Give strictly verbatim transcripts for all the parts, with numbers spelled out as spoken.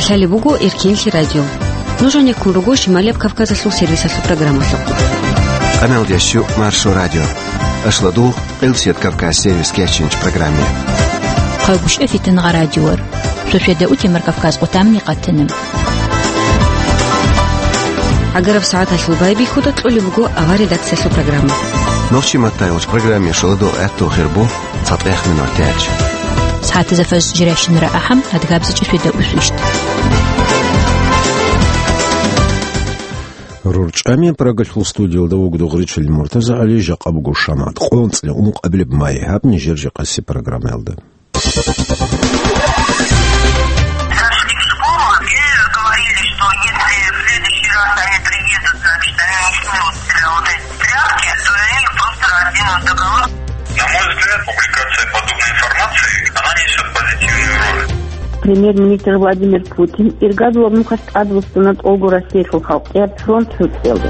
Лъалеб буго Эркенлъи радио. Нуж гьанеккун руго Шималияб Кавказалъул сервисалъул программалъухъ. Къамел дящу Маршо радио. Ашладу Къилсият Кавказ сервис кечинч программе. Хъагуш эфитан гъа радиор. Шошеда утемар Кавказ къутамни къатана. Агараб сагӀаталъул байбихьуда кьолеб буго авар редакциялъул программа. Нохчи маттайолч программе шаладу гӀатту хирбу. ЦатӀех минутач. СагӀатазда фаз жирайщинара ахӀам, адгабзичӀеб шведа усвищт. РорчӀами Прагалъул студиялда вугода Гъричил МуртазагӀали, жакъа буго шамат. Къонцлъи ункъабилеб май, гьаб нижер жакъаси программаялда. Зашли в школу, и говорили, что если в следующий раз они приедут, значит, они не снимут с себя вот эти тряпки, то они их просто разденут до голы. На мой взгляд, публикация подобной информации, она несёт позитивную роль. Премьер-министр Владимир Путин иргадулаб нухалъ тӀадвуссана тӀолго Россиялъул халкъияб фронт гӀуцӀиялде.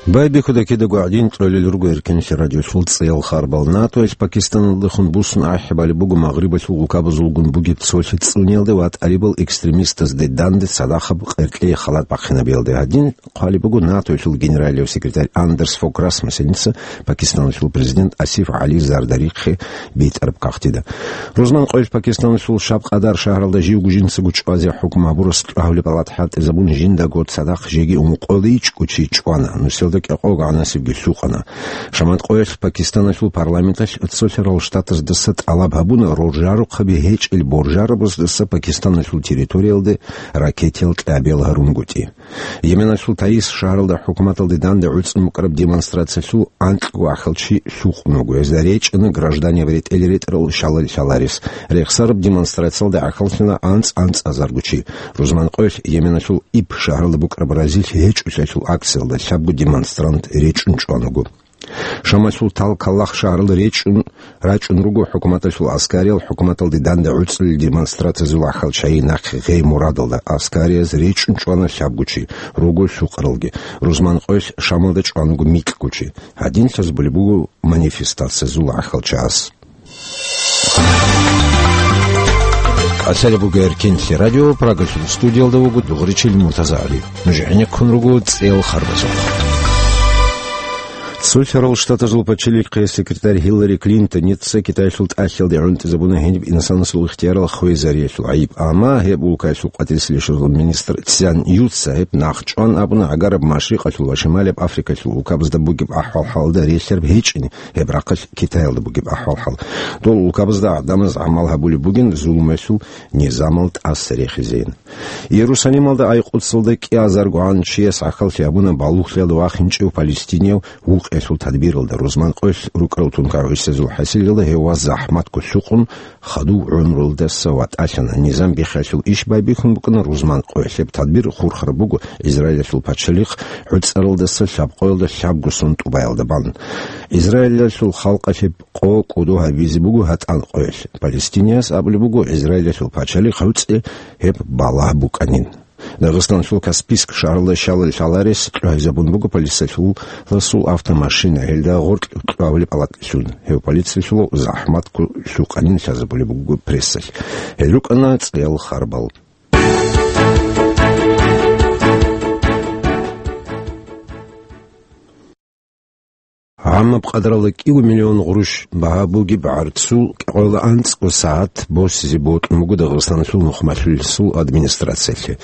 Байбихьуда кидаго гӀадин кьолел руго Эркенлъи радиолъул цӀеял харбал. НАТОялъ Пакистаналдехун буссун ахӀи балеб буго Магърибалъул улкабазулгун бугеб цолъи цӀуниялде ва тӀарибал экстремистазде данде цадахъаб къеркьей халат бахъинабиялде. Гьадин хъвалеб буго НАТОялъул генералияв секретарь Андерс Фог Расмуссеница Пакистаналъул президент Асиф ГӀали Зардарихъе битӀараб кагътида. Рузман къоялъ Пакистаналъул Шаб Къадар шагьаралда живго жинцаго чӀвазе хӀукму гьабурас кьвагьулеб палат хӀалтӀизабун жиндаго цадахъ жеги ункъоялда ичӀго чи чӀвана, нусиялда кӀикъого гӀанасебги лъукъана. Шамат къоялъ Пакистаналъул парламенталъ Цолъарал Штатаздаса тӀалаб гьабуна роржарухъаби гьечӀел боржарабаздаса Пакистаналъул территориялде ракетиял кьабиял гьарунгутӀи. Йеменалъул Таиз шагьаралда хӀукуматалде данде гӀуцӀун букӀараб демонстрациялъул анкьго ахал чи лъукъун вуго. Гьезда речӀчӀана гражданияв ретӀел-ретӀрал шалал лъаларес. Рехсараб демонстрациялда гӀахьаллъана анцӀ-анцӀазарго чи. Рузман къоялъ Йеменалъул Иб шагьаралда букӀараб разилъи гьечӀолъиялъул акциялда лъабго демонстрант речӀчӀун чӀван вуго. Шамалъул Тал-Каллах шагьаралда речӀчӀун рачӀун руго хӀукуматалъул аскариял хӀукуматалде данде гӀуцӀулел демонстрациязул ахал чагӀи нахъе гъей мурадалда. Аскарияз речӀчӀун чӀвана лъабго чи, руго лъукъаралги. Рузман къоялъ Шамалда чӀван вуго микьго чи. Гьадин лъазабулеб буго манифестациязул ахал чагӀаз. Лъалеб буго Эркенлъи радио, Прагалъул студиялда вуго Дугъричил Муртазагьали. Нуж гӀенеккун руго цӀеял харбазухъ. Цолъарал Штатазул пачалихъе секретарь Хиллари Клинтоница Китаялъул тӀалъиялде гӀунтӀизабуна гьениб инсанасул ихтиярал хвезариялъул гӀайиб, амма гьеб улкаялъул къватӀирсилищазул министр Цзян Юца гьеб нахъчӀван абуна, гӀагараб Машрикъалъул ва Шималияб Африкалъул улкабазда бугеб ахӀвал-хӀалда релълъараб гьечӀин, гьеб рахъалъ Китаялда бугеб ахӀвал-хӀал. Дол улкабазда гӀадамаз гӀамал гьабулеб бугин зулмуялъул низамал тӀаса рехизейин. Иерусалималда Айкъудсалда кӀиазаргогӀан чияс гӀахьаллъи гьабуна балугълъиялда вахинчӀев палестинияв вукъиялъул тадбиралда. Рузман къоялъ рукӀарал тункагӀу гӀисезул хӀасилалда гьев вас захӀматго лъукъун, хадув гӀумруялдаса ватӀалъана. Низам биххиялъул иш байбихьун букӀана Рузман къоялъ. Гьеб тадбир хурхараб буго Израилалъул пачалихъ гӀуцӀаралдаса лъабкъоялда лъабго сон тӀубаялда бан. Израилалъул халкъалъ гьеб къо кӀодо гьабизе буго гьатӀан къоялъ. Палестинияс абулеб буго Израилалъул пачалихъ гӀуцӀи гьеб балагь букӀанин. Дагъистаналъул Каспийск шагьаралда щалал лъаларес кьвагьизабун буго полициялъул автомашина, гьелда гъоркь кьвагьулеб палатлъун. Гьев полициялъул захӀматго лъукъанин лъазабулеб буго прессалъ. Гьел рукӀана цӀеял харбал. ГӀаммаб къадралда кӀиго миллион гъурущ багьа бугеб гӀарцул кӀикъоялда анцӀго сагӀат босизе бокьун буго Дагъистаналъул нухмалъулесул администрациялъе.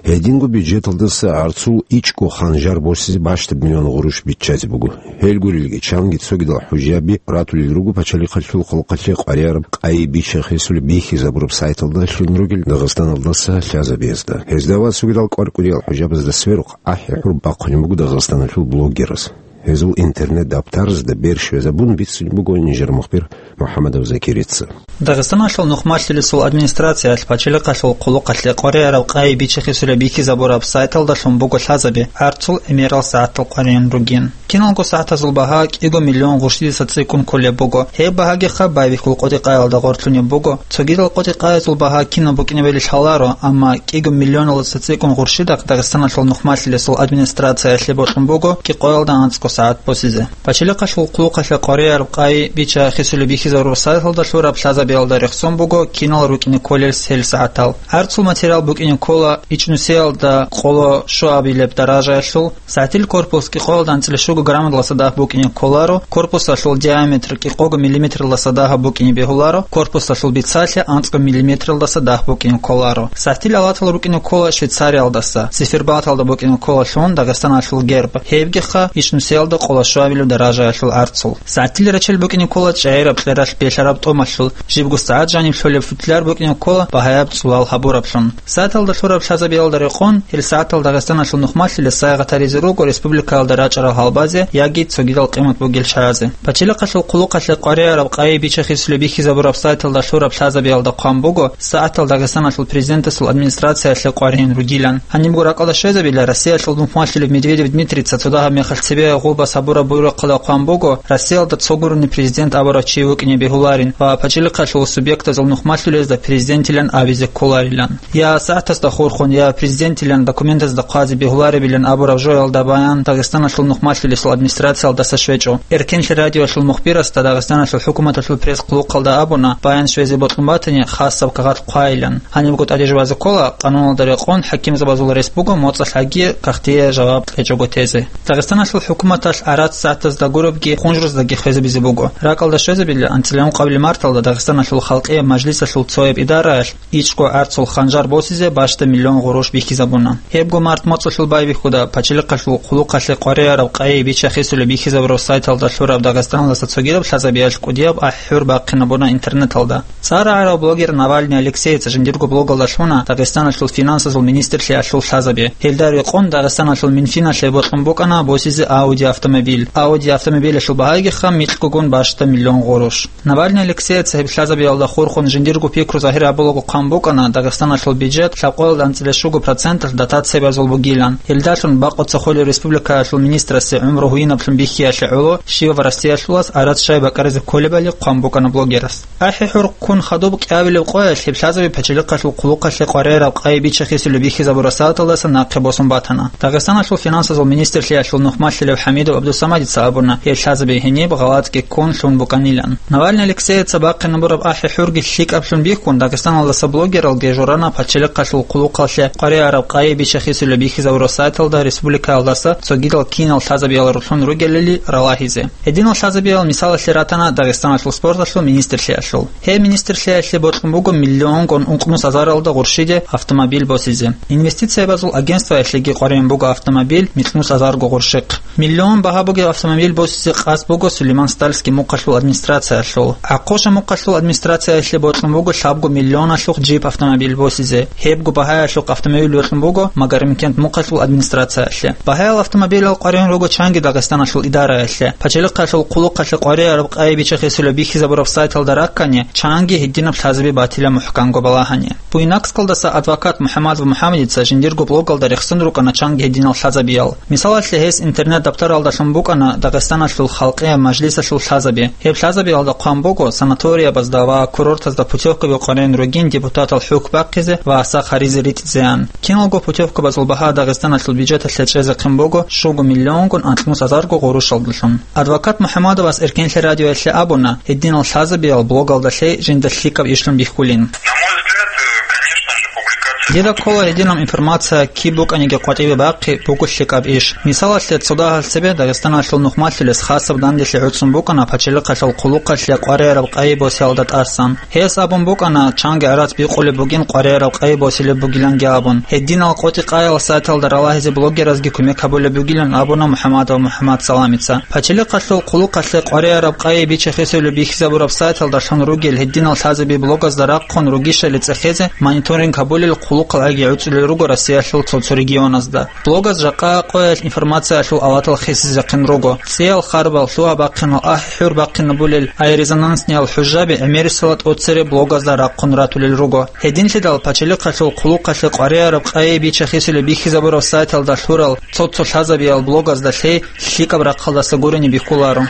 Гьединго бюджеталдаса гӀарцул ичӀго ханжар босизе бащдаб миллион гъурущ биччазе буго. Гьел гурелги чанги цогидал хӀужаби ратулел руго пачалихъалъул хъулухъалъе къваригӀараб къайи бича-хисули бихьизабураб сайталдалъун ругел Дагъистаналдаса лъазабиязда. Гьезда ва цогидал кӀвар-кӀудиял хӀужабазда сверухъ ахӀи-гӀур бахъунеб буго Дагъистаналъул блогераз. Гьезул интернет-дабтарзда бер щвезабун бицунеб буго нижер мухбир МухӀамадов Закирица. Дагъистаналъул нухмалъулесул администрациялъ пачалихъалъул хъулухъалъе къваригӀараб къайи бича-хисули бихьизабураб сайталдалъун буго лъазаби гӀарцул гӀемерал сагӀатал къваригӀун ругин. Киналго сагӀатазул багьа кӀиго миллион гъурщидаса цӀикӀкӀун кколеб буго. Гьеб багьагиха байбихьул къотӀи-къаялда гъорлъунеб буго. Цогидал къотӀи-къаялъул багьа кинаб букӀинабали лъаларо, амма кӀиго миллионалдаса цӀикӀкӀун гъурщидахъ Дагъистаналъул нухмалъулесул администрациялъе бокьун буго кӀикъоялда анцӀго сагӀат босизе. Пачалихъалъул хъулухъалъе къваригӀараб къай бича-хисулеб бихьизабураб сайталда лъураб лъазабиялда рехсон буго кинал рукӀине кколел гьел сагӀатал. ГӀарцул материал букӀине ккола ичӀнусиялда къоло щуабилеб даражаялъул, сагӀатил корпус кӀикъоялда анцӀила щуго граммалдаса дагь букӀине кколаро, корпусалъул диаметр кӀикъого миллиметралдаса дагьаб букӀине бегьуларо, корпусалъул бицалъи анцӀго миллиметралдаса дагь букӀине кколаро. СагӀатил алатал рукӀине ккола Швейцариялдаса, циферблаталда букӀине ккола лъун Дагъистаналъул герб, гьебгиха ичӀнусиялда къоло щуабилеб даражаялъул гӀарцул. СагӀатил рачел букӀине ккола чӀегӀераб кьералъ белъараб тӀомалъул, жибго сагӀат жаниб лъолеб футляр букӀине ккола багьаяб цӀулал гьабураблъун. Сайталда лъураб лъазабиялда рекъон, гьел сагӀатал Дагъистаналъул нухмалъулес сайгъат гьаризе руго республикаялда рачӀарал гьалбазе яги цогидал къимат бугел чагӀазе. Пачалихъалъул хъулухъалъе къваригӀараб къайи бича-хисулеб бихьизабураб сайталда лъураб лъазабиялда хъван буго, сагӀатал Дагъистаналъул президентасул администрациялъе къваригӀун ругилан. Гьанибго ракӀалда щвезабила Россиялъул нухмалъулеб Медведев Дмитрийца цо дагьаб мехалъ цебе гъулбас гьабураб буйрухъалда хъван буго, Россиялда цо гурони президент абурав чи вукӀине бегьуларин ва пачалихъалъул субъектазул нухмалъулезда президентилан абизе кколарилан. Я сагӀатасда хурхун, я президентилан документазда хъвазе бегьуларебилан абураб жоялда баян Дагъистаналъул нухмалъулесул администрациялдаса щвечӀо. Эркенлъи радиоялъул мухбирасда Дагъистаналъул хӀукуматалъул пресс-хъулухъалда абуна, баян щвезе бокьун батани, хасаб кагъат хъвайилан. Гьанибго тӀаде жубазе ккола, къануналда рекъон хӀакимзабазул рес буго моцӀалъ гьаги кагътие жаваб кьечӀого тезе. Дагъистаналъул хӀукуматалъ арат сагӀатазда гурабги хъунжруздаги хвезабизе буго. РакӀалда щвезабила анцӀила ункъабилеб марталда Дагъистаналъул халкъияб мажлисалъул цояб идараялъ ичӀго гӀарцул ханжар босизе бащда миллион гъурущ бихьизабуна. Гьебго март моцӀалъул байбихьуда пачалихъалъул хъулухъалъе къваригӀараб къайи бича-хисулеб бихьизабураб сайталда лъураб Дагъистаналдаса цогидаб лъазабиялъ кӀудияб ахӀи-хӀур бахъинабуна интернеталда. ЦӀар рагӀарав блогер Навальный Алексеец жиндирго блогалда лъуна Дагъистаналъул финансазул министрлъиялъул лъазаби. Гьелда рекъон Дагъистаналъул Минфиналъе бокьун букӀана босизе Audi автомобиль. Audi автомобилялъул багьагиха микьгогун бащда миллион гъурущ. Навальный Алексеец гьеб лъазабиялда хурхун жиндирго пикру загьир гьабулаго хъван букӀана Дагъистаналъул бюджет лъабкъоялда анцӀила щуго проценталъ дотациябазул бугилан. Гьелдалъун бакъуца холев республикаялъул министрасе гӀумру гьуинаблъун бихьиялъе гӀоло щивав Россиялъулас арат щай бакӀаризе кколебали хъван букӀана блогерас. АхӀи-хӀур ккун хадуб кӀиабилеб къоялъ гьеб лъазаби пачалихъалъул хъулухъалъе къваригӀараб къайи бича-хисулеб бихьизабураб сайталдаса нахъе босун батана. Дагъистаналъул финансазул министрлъиялъул нухмалъулев ХӀамидов ГӀабдусамадица абуна, гьеб лъазаби гьениб гъалатӀги ккун лъун букӀанилан. Навальный Алексееца бахъинабураб ахӀи-хӀурги лъикӀаблъун бихьун, Дагъистаналдаса блогералги журана пачалихъалъул хъулухъалъе къваригӀараб къайи бича-хисулеб бихьизабураб сайталда республикаялдаса цогидал кинал лъазабиял рулъун ругелали ралагьизе. Гьединал лъазабиял мисалалъе ратана Дагъистаналъул спорталъул министрлъиялъул. Гьеб министрлъиялъе бокьун буго миллионгун ункънус азаралда гъурщиде автомобиль босизе. Инвестициябазул агентствоялъеги къваригӀун буго автомобиль микьнус азарго гъурщихъ. Миллион багьа бугеб автомобиль босизе къасд буго Сулейман-Стальский мухъалъул администрациялъул. ГӀахъуша мухъалъул администрациялъе бокьун буго лъабго миллионалъухъ джип автомобиль босизе. Гьебго багьаялъухъ автомобиль бокьун буго Магарамкент мухъалъул администрациялъе. Багьаял автомобилал къваригӀун руго чанги Дагъистаналъул идараялъе. Пачалихъалъул хъулухъалъе къваригӀараб къайи бича-хисулеб бихьизабураб сайталда раккани, чанги гьединаб лъазаби батила мухӀканго балагьани. Буйнакскалдаса адвокат МухӀаммадов МухӀаммадица жиндирго блогалда рехсон рукӀана чанги гьединал лъазабиял. Мисалалъе, гьес интернет-даптаралдалъун букӀана Дагъистаналъул халкъияб мажлисалъул лъазаби. Гьеб лъазабиялда хъван буго санаториябазда ва курортазда путевкаби къваригӀун ругин депутатал хӀухь бахъизе ва сах гьаризе ритӀизеян. Киналго путевкабазул багьа Дагъистаналъул бюджеталъе чӀезехъин буго щуго миллионгун анкьнус азарго гъурущалдалъун. Адвокат МухӀаммадовас Эркенлъи радиоялъе абуна, гьединал лъазабиял блогалда лъей жинда лъикӀаб ишлъун бихьулин. На мой взгляд, э, конечно же, публикация... Дида ккола гьединаб информация киб букӀаниги къватӀибе бахъи буго лъикӀаб иш. Мисалалъе, цо дагьал цебе Дагъистаналъул нухмалъулес хасаб данделъи гӀуцӀун букӀана пачалихъалъул хъулухъалъе къваригӀараб къайи босиялда тӀасан. Гьес абун букӀана, чанги гӀарац бикъулеб бугин къваригӀараб къайи босилеб бугиланги абун. Гьединал къотӀи-къаял сайталда ралагьизе блогеразги кумек гьабулеб бугилан абуна МухӀаммадов МухӀаммад Саламица. Пачалихъалъул хъулухъалъе къваригӀараб къайи бича-хисулеб бихьизабураб сайталдалъун ругел гьединал лъазаби блогазда рахъун ругищали цӀехезе мониторинг гьабулел хъулухъалги гӀуцӀулел руго Россиялъул цо-цо регионазда. Блогаз жакъа къоялъ информациялъул аватал хисизехъин руго. ЦӀиял харбал, лъугьа-бахъинал, ахӀи-хӀур бахъинабулел, гьай резонансниял хӀужаби гӀемерисела тӀоцере блогазда рахъун ратулел руго. Гьединлъидал пачалихъалъул хъулухъалъе къваригӀараб къайи бича-хисулеб бихьизабураб сайталда лъурал цо-цо лъазабиял блогазда лъей лъикӀаб рахъалдаса гурони бихьуларо.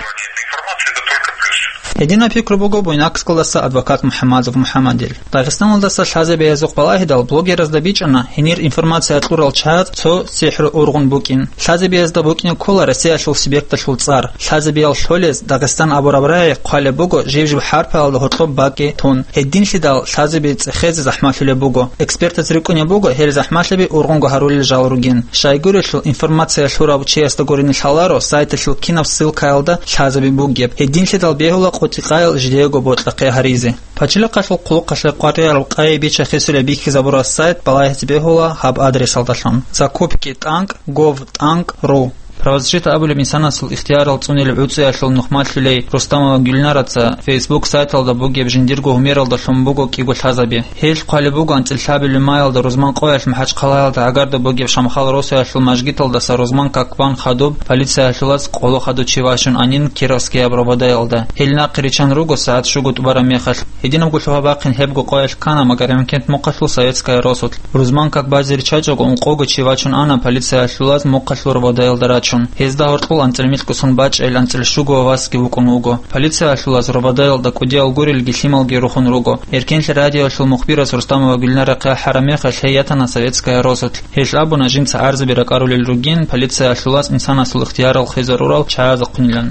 Гьединаб пикру буго Буйнакскалдаса адвокат МухӀаммадов МухӀаммадил. Дагъистаналдаса лъазабиязухъ балагьидал блогеразда бичӀчӀана гьенир информация кьурал чагӀаз цо сихӀру ургъун букӀин. Лъазабиязда букӀине ккола Россиялъул субъекталъул цӀар. Лъазабиял лъолез Дагъистан абураб рагӀи хъвалеб буго жиб-жиб хӀарпаялда гьоркьоб бакӀи тун. Гьединлъидал лъазаби цӀехезе захӀмалъулеб буго. Экспертаз рикӀкӀунеб буго гьел захӀмалъаби ургъунго гьарулел жал ругин. Щайгурелъул информация лъурав чиясда гурони лъаларо сайталъул кинаб ссылкаялда лъазаби бугеб. Гьединлъидал бегьула къотӀи-къаял жидеего бокьахъе гьаризе. Пачалихъалъул хъулухъалъе къваригӀараб къайи-бича хисулеб бихьизабураб сайт балагьизе бегьула гьаб адресалдалъун: закупки тӀанкӀ гов тӀанкӀ ру. Правозащита абулеб инсанасул ихтиярал цӀунилеб гӀуцӀиялъул нухмалъулей Рустамова Гюльнараца Facebook сайталда бугеб жиндирго гьумералдалъун буго кӀиго лъазаби. Гьелъ хъвалеб буго анцӀила лъабилеб маялда рузман къоялъ МахӀачхъалаялда гӀагарда бугеб Шамхал росаялъул мажгиталдаса рузман как бан хадуб полициялъулаз къоло хадув чи вачун анин Кировскияб Рободаялда. Гьел нахъе риччан руго сагӀат щуго тӀубараб мехалъ. Гьединабго лъугьа-бахъин гьебго къоялъ ккана Магарамкент мухъалъул Советская росулъ. Рузман как базе риччачӀого ункъого чи вачун ана полициялъулаз мухъалъул Рободаялда рачун. Гьезда гьоркьул анцӀила микьго сон бачӀел анцӀила щуго васги вукӀун вуго. Полициялъулаз Рободаялда кӀудиял гурелги лъималги рухун руго. Эркенлъи радиоялъул мухбирас Рустамова Гюльнара хъяхӀараб мехалъ гьей ятана Советская росулъ. Гьелъ абуна жинца гӀарзаби ракӀарулел ругин полициялъулаз инсанасул ихтиярал хвезарурал чагӀазухъунилан.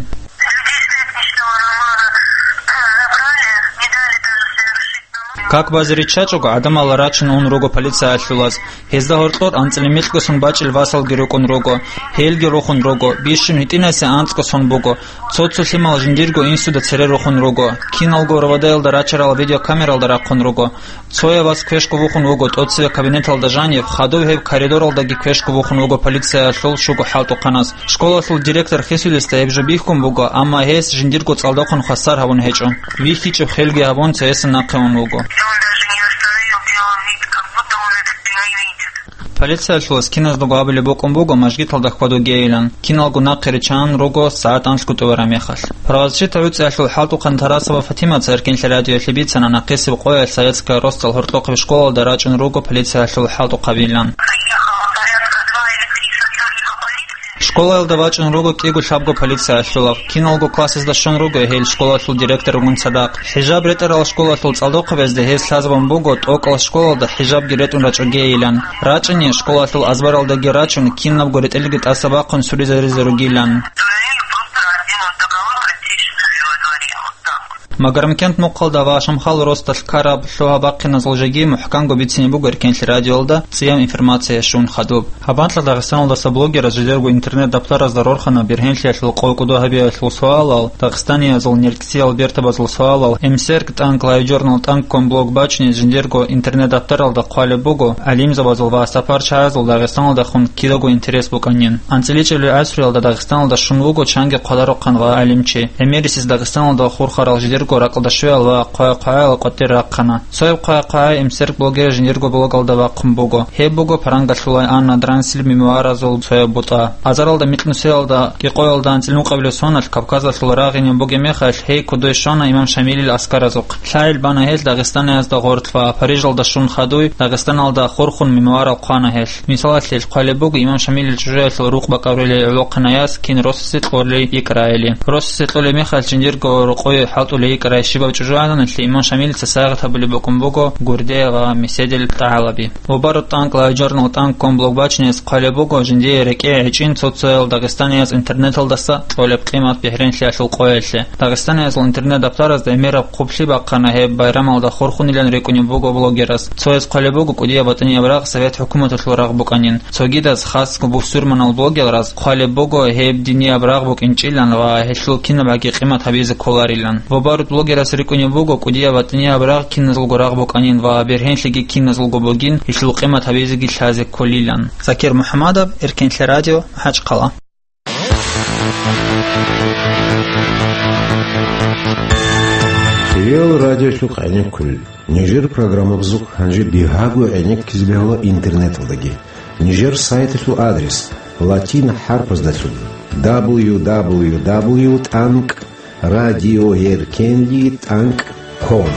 Как базе риччачӀого гӀадамал рачун ун руго полициялъулаз. Гьезда гьоркьор анцӀила микьго сон бачӀел васалги рукӀун руго. Гьелги рухун руго. Бищун гьитӀинасе анцӀго сон буго. Цо-цо лъимал жиндирго инсуда цере рухун руго. Киналго Рободаялда рачарал видеокамералда рахъун руго. Цояб вас квешго вухун вуго тӀоцеве кабинеталда жанив, хадув гьеб коридоралдаги квешго вухун вуго полициялъул щуго хӀалтӀухъанас. Школалъул директор хисулесда гьеб жо бихьун буго, амма гьес жиндирго цӀалдохъун хвасар гьабун гьечӀо. ВихьичӀеб хелги гьабун, цоясда нахъе ун вуго. Полициялъулас киназдаго абулеб букӀун буго мажгиталда хьвадугейилан, киналго нахъе риччан руго сагӀат анлъго тӀубараб мехалъ. Правозащита гӀуцӀиялъул хӀалтӀухъан Тарасова Фатимаца Эркенлъи радиоялъе бицана нахъисеб къоялъ Советская росдал гьоркьохъеб школалда рачӀун руго полициялъул хӀалтӀухъабилан. Школаялда вачӀун руго кӀиго-лъабго полициялъулав. Киналго классазда щун руго гьел школалъул директор вугун цадахъ. ХӀижаб ретӀарал школалъул цӀалдохъабазда гьез лъазабун буго тӀокӀал школалда хӀижабги ретӀун рачӀогейилан. РачӀани школалъул азбаралдаги рачун, кинабго ретӀелги тӀаса бахъун суризаризе ругилан. Магарамкент мухъалда ва Шамхал росдалъ ккараб лъугьа-бахъиназул жеги мухӀканго бицине буго Эркенлъи радиоялда цӀияб информация щун хадуб. Гьаб анкьа Дагъистаналдаса блогераз жидерго интернет-даптаразда рорхана бергьенлъиялъул къо-кӀодо гьабиялъул суалал, дагъистаниязул неркӀцӀиял бертабазул суалал, эмсерк тӀанкӀ лайв-журнал тӀанкӀ ком блог бачине жиндирго интернет-даптаралда хъвалеб буго, гӀалимзабазул ва сапарчагӀазул Дагъистаналдехун кидаго интерес букӀанин. АнцӀила чӀебилеб гӀасруялда Дагъистаналда щун вуго чанги хъвадарухъан ва гӀалимчи. ГӀемерисез Дагъистаналда хурхарал жидерго ракьалда щвеял ва хъвай-хъваял къватӀир рахъана. Цояб хъвай-хъвай эмсерк блогер жиндирго блогалда вахъун буго. Гьеб буго Парангалъулай Анна Дранслъи мемуаразул цояб бутӀа. Азаралда микьнусиялда, кӀикъоялда анцӀила нукъабилеб соналъ Кавказалъул рагъинин бугеб мехалъ, гьей кодой щвана имам Шамилил аскаразухъ. Лъайил бана гьелъ Дагъистаниязда гъорлъ ва Парижалда щун хадуй Дагъистаналда хурхун мемуарал хъвана гьелъ. Мисалалъе, хъвалеб буго имам Шамилил чӀужуялъул рукъ бакӀарулел гӀолохъанаяс кин росасе кьолей йикӀарайили. Росасе кьолеб мехалъ жиндирго рокъове хӀалтӀулей йикӀарай щибаб чӀужугӀаданалъе имам Шамилица сайгъат гьабулеб букӀун буго гурде ва меседил тӀагӀалаби. Вобару тӀанкӀ лайв-журнал тӀанкӀ ком блог бачинес хъвалеб буго жиндие рекӀее гӀечӀин цо-цоял дагъистанияз интернеталдаса кьолеб къимат бергьенлъиялъул къоялъе. Дагъистаниязул интернет-даптаразда гӀемераб хъублъи бахъана гьеб байрамалда хурхунилан рикӀкӀунеб буго блогераз. Цояз хъвалеб буго кӀудияб батӀинияб рагъ Совет хӀукуматалъул рагъ букӀанин. Цогидаз, хасго бусурманал блогераз, хъвалеб буго гьеб динияб рагъ букӀинчӀилан ва гьелъул кинабгӀаги къимат гьабизе кколарилан. Вобарут блогерас рикӀкӀунеб буго кӀудияб батӀинияб рагъ киназулго рагъ букӀанин ва бергьенлъиги киназулго бугин, гьелъул къимат гьабизеги лъазе кколилан. Закир МухӀаммадов, Эркенлъи радио, МахӀачхъала. Реал радиолъухъ гӀенеккулел. Нижер программабазухъ гьанже бигьаго гӀенеккизе бегьула интернеталдаги. Нижер сайталъул адрес: латин хӀарпаздалъун: дабл ю дабл ю дабл ю тӀанкӀ радиоэркенлъи тӀанкӀ ком.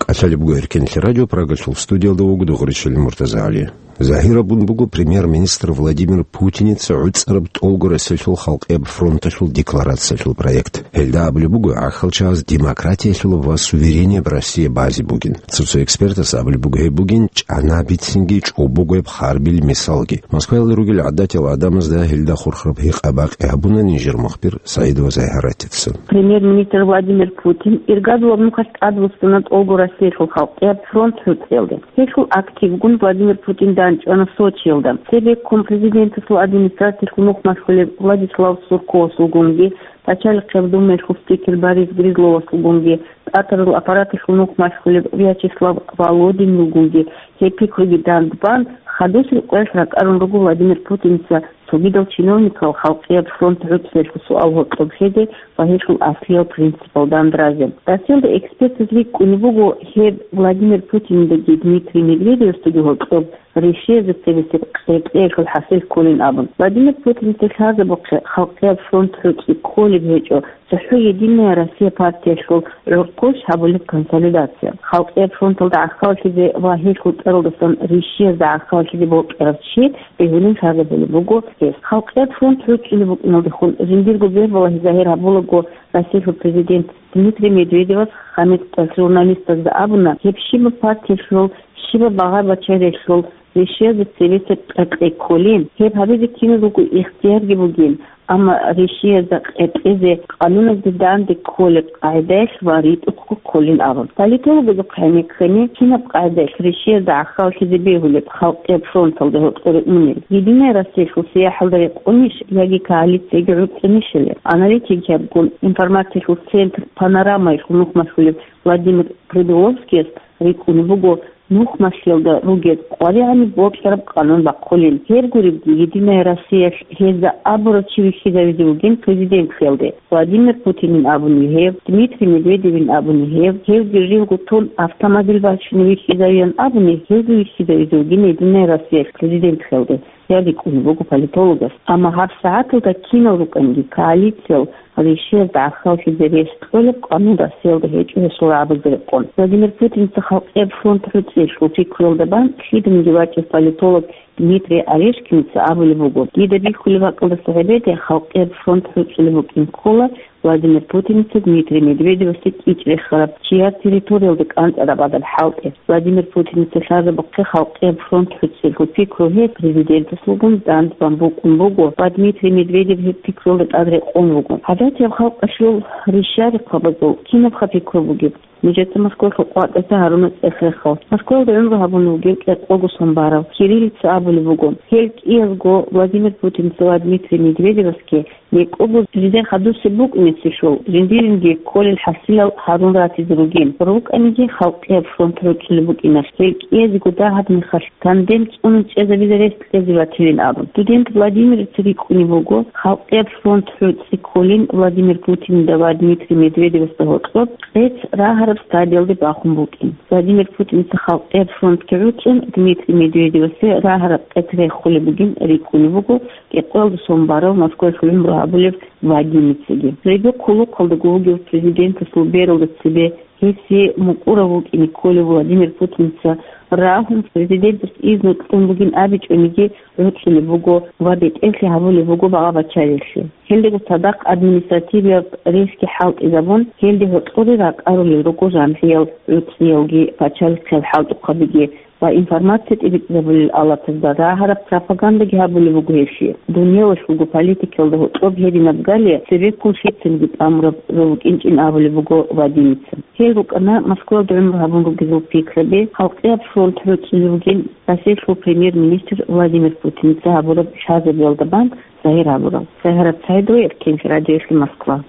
КӀалъалеб буго Эркенлъи радио, Прагалъул студиялда вуго Дугъричил МуртазагӀали. Загьир абун буго премьер-министр Владимир Путиница гӀуцӀараб тӀолго Россиялъул халкъияб фронталъул декларациялъул проект. Гьелда абулеб буго гӀахьалчагӀаз демократиялъулаб ва суверенияб Россия базе бугин. Цо-цо экспертас абулеб буго гьеб бугин чӀана бицинги чӀобогояб харбил мисалги. Москваялда ругел гӀадатиял гӀадамазда гьелда хурхараб гьикъа-бакъи гьабуна нижер мухбир СагӀидова Загьаратица. Премьер-министр Владимир Путин иргадулаб нухалъ тӀадвуссана тӀолго Россиялъул халкъияб фронт гӀуцӀиялде. Гьелъул активгун Владимир Путин данчӀвана Сочиялда. Цебеккун президентасул администрациялъул нухмалъулеб Владислав Сурковасулгунги, пачалихъияб думаялъул спикер Борис Грызловасулгунги, тӀатарал аппараталъул нухмалъулеб Вячеслав Володинилгунги гьеб пикруги дандбан, хадусел къоялъ ракӀарун руго Владимир Путиница цогидал чиновникал халкъияб фронт гӀуцӀиялъул суал гьоркьоб хьезе ва гьелъул аслиял принципал дандразе. Россиялда экспертаз рикӀкӀунеб буго, гьеб Владимир Путинидеги Дмитрий Медведевасдаги гьоркьоб решениязда цебесеб къетӀеялъул хӀасил кколин абун. Владимир Путиница лъазабухъе халкъияб фронт гӀуцӀи кколеб гьечӀо цохӀо «Единая Россия» партиялъул гӀурхъулъ гьабулеб консолидация. Халкъияб фронталда гӀахьаллъизе ва гьелъул цӀаралдасан решениязда гӀахьаллъизе бокьарав чи бегьулин лъазабулеб буго гьес. Халкъияб фронт гӀуцӀулеб букӀиналдехун жиндирго бегьбалагьи загьир гьабулаго, Россиялъул президент Дмитрий Медведевас гьаниб журналистазда абуна, гьеб щибаб партиялъул, щибаб багъа-бачариялъул решениязда цебесеб къетӀе кколин, гьеб гьабизе киназулго ихтиярги бугин, амма решениязда къетӀезе къануназда данде кколеб къагӀидаялъ ва ритӀухъго кколин абун. Политологазухъ гӀенеккани, кинаб къагӀидаялъ решениязда гӀахьаллъизе бегьулеб халкъияб фронталда гьоркьор унел? «Единая Россиялъул» сияхӀалда рекъонищ яги коалицияги гӀуцӀунищали? Аналитикиябгун информациялъул центр «Панорамаялъул» нухмалъулев Владимир Придуловскияс рикӀкӀунеб буго, нухмалъиялда ругел къваригӀаниб бокьараб къанун бахъулин. Гьеб гуребги, «Единая Россиялъ» гьезда абурав чи вихьизавизе вугин президентлъиялде. Владимир Путинин абуни гьев, Дмитрий Медведевин абуни гьев, гьевги живго тун автомобиль бачине вихьизавиян абуни гьезда вихьизавизе вугин «Единая Россиялъ» президентлъиялде, ян рикӀкӀунеб буго политологас. Амма гьабсагӀаталда кинал рукӀанги коалициял решениязда гӀахьаллъизе рес кьолеб къанун Россиялда гьечӀо гьесул рагӀабазда рекъон. Владимир Путиница халкъияб фронт гӀуцӀиялъул пикруялда бан лъиданиги вачӀев политолог Дмитрий Орешкиница абулеб буго, дида бихьулеб бакӀалдаса гьебеде халкъияб фронт гӀуцӀулеб букӀин ккола Владимир Путиница Дмитрий Медведевасде кӀичӀ рехараб чияр территориялде кӀанцӀараб гӀадаб хӀалтӀи. Владимир Путиница лъазабухъе халкъияб фронт гӀуцӀиялъул пикру гьес президентасулгун дандбан букӀун буго ва Дмитрий Медведев гьеб пикруялда тӀад рекъон вуго. ГӀадатияб халкъалъул ришарихъабазул кинабха пикру бугеб? Нужеца Москвалъул къватӀиса гьаруна цӀех-рехал. Москвалда гӀумру гьабун вугев кӀикъого сон барав, кириллица абулеб буго. Гьел кӀиязго Владимир Путинца ва Дмитрий Медведевасги некӀого жидер хадусеб букӀунеселъул, жиндиринги кколел хӀасилал гьарун ратизе ругин. РукӀаниги халкъияб фронт гӀуцӀулеб букӀиналъ, гьел кӀиязего дагьаб мехалъ тандем цӀунун чӀезабизе рес кьезе батилин абун. Студент Владимирица рикӀкӀунеб буго, халкъияб фронт гӀуцӀи кколин Владимир Путинида ва Дмитрий Медведевасда гьоркьоб къец рагьараб стадиялде бахун букӀин. Владимир Путиница халкъияб фронтги гӀуцӀун, Дмитрий Медведевасе рагьараб къец рехулеб бугин рикӀкӀунеб буго кӀикъоялда сон барав Москвалъ гӀумру гьабулев Вадимицаги. Жеги хъулухъалдаго вугев президентасул бералда цебе гьесие мукӀурав вукӀине кколев Владимир Путиница рагьун, президентас изну кьун бугин абичӀониги гӀуцӀулеб буго ва бетӀерлъи гьабулеб буго багъа-бачариялъе. Гьелдаго цадахъ административияб рейсги хӀалтӀизабун, гьелде гьоркьоре ракӀарулел руго жамгӀиял гӀуцӀиялги, пачалихъиял хӀалтӀухъабиги ва информация тӀибитӀизабулел алатазда рагьараб пропагандаги гьабулеб буго гьелъие. Дунялалъулго политикаялда гьоркьоб гьединаб галия цебеккун лъицаниги тӀамураб жо букӀинчӀин абулеб буго Вадимица. Гьел рукӀана Москвалда гӀумру гьабун ругезул пикраби, халкъияб фронт гӀуцӀулев вугин Россиялъул премьер-министр Владимир Путиница гьабураб лъазабиялда бан загьир гьабурал. СагӀарат СагӀидова, Эркенлъи радиоялъе, Москва.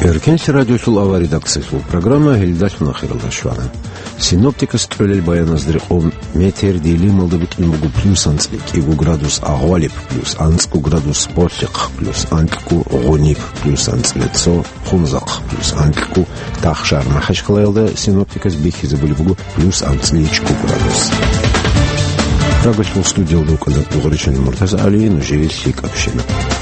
Эркенлъи радиолъул авария редакциялъул программа гьелдалъун ахиралда щвана. Синоптикас кьолел баяназда рекъон, метеор Делималда букӀин буго плюс анцӀила кӀиго градус Агъвалиб, плюс анцӀго градус Болъихъ, плюс анкьго Гъуниб, плюс анцӀила цо Хунзахъ, плюс анкьго Тахшар. МахӀачхъалаялда синоптикас бихьизабулеб буго плюс анцӀила чӀугу градус. Прагалъул студиялда вукӀана Дугъричан Муртаза ГӀали, нужее лъикӀаб щибаб.